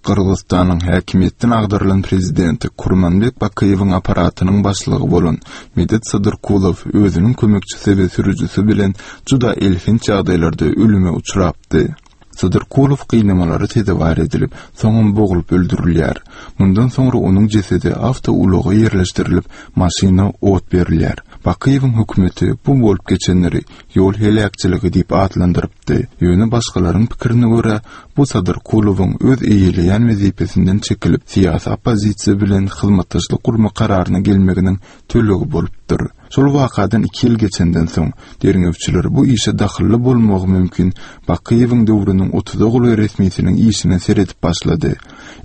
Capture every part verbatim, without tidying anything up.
Gyrgyzystanyň häkimiýetden agdarylan prezidenti Kurmanbek Bakyýewiň apparatynyň başlygy bolan Medet Sadyrkulow özüniň kömekçisi we sürüjisi bilen juda elhenç ýagdaýlarda ölüme uçrapdy. Sadyrkulow gynamalara sezewar edilip, soňam boglup öldürilýär. Mundan soňra onuň jesedi awtoulaga ýerleşdirilip, maşyna ot berilýär. Bakyýewiň hökümeti bu bolup geçenleri ýol heläkçiligi diýip atlandyrypdy. Ýöne başgalaryň pikirine görä, bu Sadyrkulowyň öz eýeleýän wezipesinden çekilip, syýasy oppozisiýa bilen hyzmatdaşlyk gurmak kararyna gelmeginiň tölegi bolupdyr. Şol wakadan iki ýyl geçenden soň, derňewçiler bu işe dahylly bolmagy mümkin Bakyýewiň döwrüniň otuza golaý resmisiniň işine seredip başlady.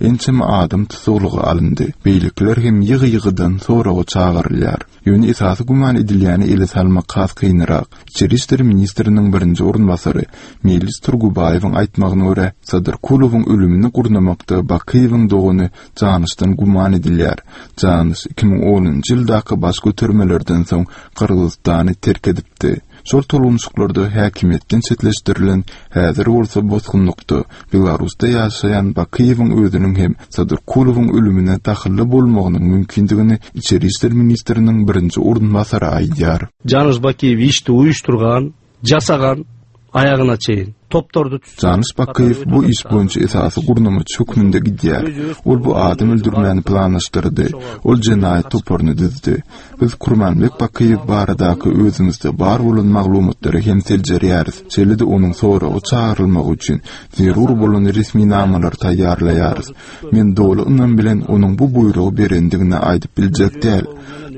Ençeme adam tussaglyga alyndy, beýlekiler hem ýygy-ýygydan soraga çagyrylýar. Ýöne esasy güman edilýäni ele salmak has kynrak. Içeri işler ministriniň birinji orunbasary Meýlis Turgubaýewiň aýtmagyna görä, Sadyrkulowyň ölümini gurnamakda Bakyýewiň dogany Janyşdan güman edilýär. Janyş iki müň onunjy ýyldaky baş götermelerden soň Gyrgyzystany terk edipdi. Şol tolgunyşyklarda häkimiýetden çetleşdirilen, häzir bolsa bosgunlykda, Belarusda ýaşaýan Bakyýewiň özüniň hem Sadyrkulowyň ölümine dahylly bolmagynyň mümkindigini Içeri işler ministriniň birinji orunbasary aýdýar. Janyş Bakiýew işdi uýuşdyrgan, jasagan aýagyna çeýin. Toptordy. Janyş Bakyýew bu iş boýunça esasy gurnamaçy hökmünde gidýär. Ol bu adam öldürmäni planlaşdyrdy. Ol jenaýat toparyny düzdi. Biz Kurmanbek Bakyýew baradaky özümizde bar bolan maglumatlary hem seljerýäris, şeýle-de onuň soraga çagyrylmagy üçin zerur bolan resminamalary taýýarlaýarys. Men doly ynam bilen onuň bu buýrugy berendigini aýdyp biljek däl.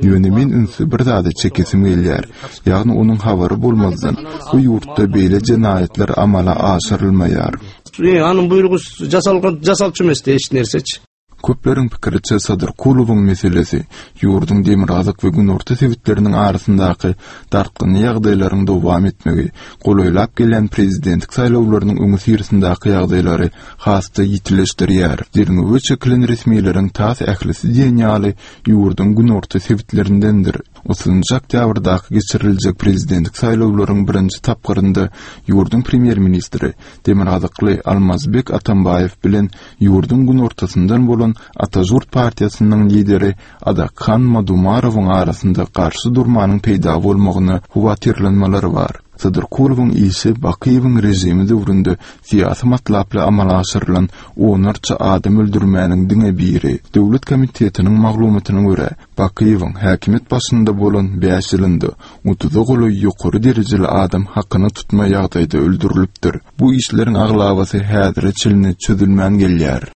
Ýöne men ünsi bir zada çekesim gelýär, ýagny onuň habary bolmazdan bu ýurtda beýle jenaýatlar amala aşyrylmaýar. Anyň buýrugy jasalgan jasalçy emesdi hiç nerseçi. Köpleriň pikiriçe, Sadyrkulowyň meselesi ýurduň demirgazyk we günorta sebitleriniň arasyndaky dartgynly ýagdaýlaryň dowam etmegi, golaýlap gelýän prezidentlik saýlawlarynyň öňüsyrasyndaky ýagdaýlary has-da ýitileşdirýär. Derňewe çekilen resmileriň tas ählisi diýen ýaly ýurduň günorta sebitlerindendir. Otuzynjy oktýabrdaky geçiriljek prezidentlik saýlawlaryň birinji tapgyrynda ýurduň premýer-ministri demirgazykly Almazbek Atambaýew bilen ýurduň günortasyndan bolan Atažurt partiýasynyň lideri Adakhan Madumarowyň arasynda garşy durmanyň peýda bolmagyna howatyrlanmalar bar. Sadyrkulowyň işi Bakyýewiň režimi döwründe syýasy matlaply amala aşyrylan onlarça adam öldürmäniň diňe biri. Döwlet komitetiniň maglumatyna görä, Bakyýewiň häkimiýet başynda bolan bäş ýylynda otuza golaý ýokary derejeli adam hakyna tutma ýagdaýda öldürilipdir. Bu işleriň aglabasy häzire çenli çözülmän gelýär.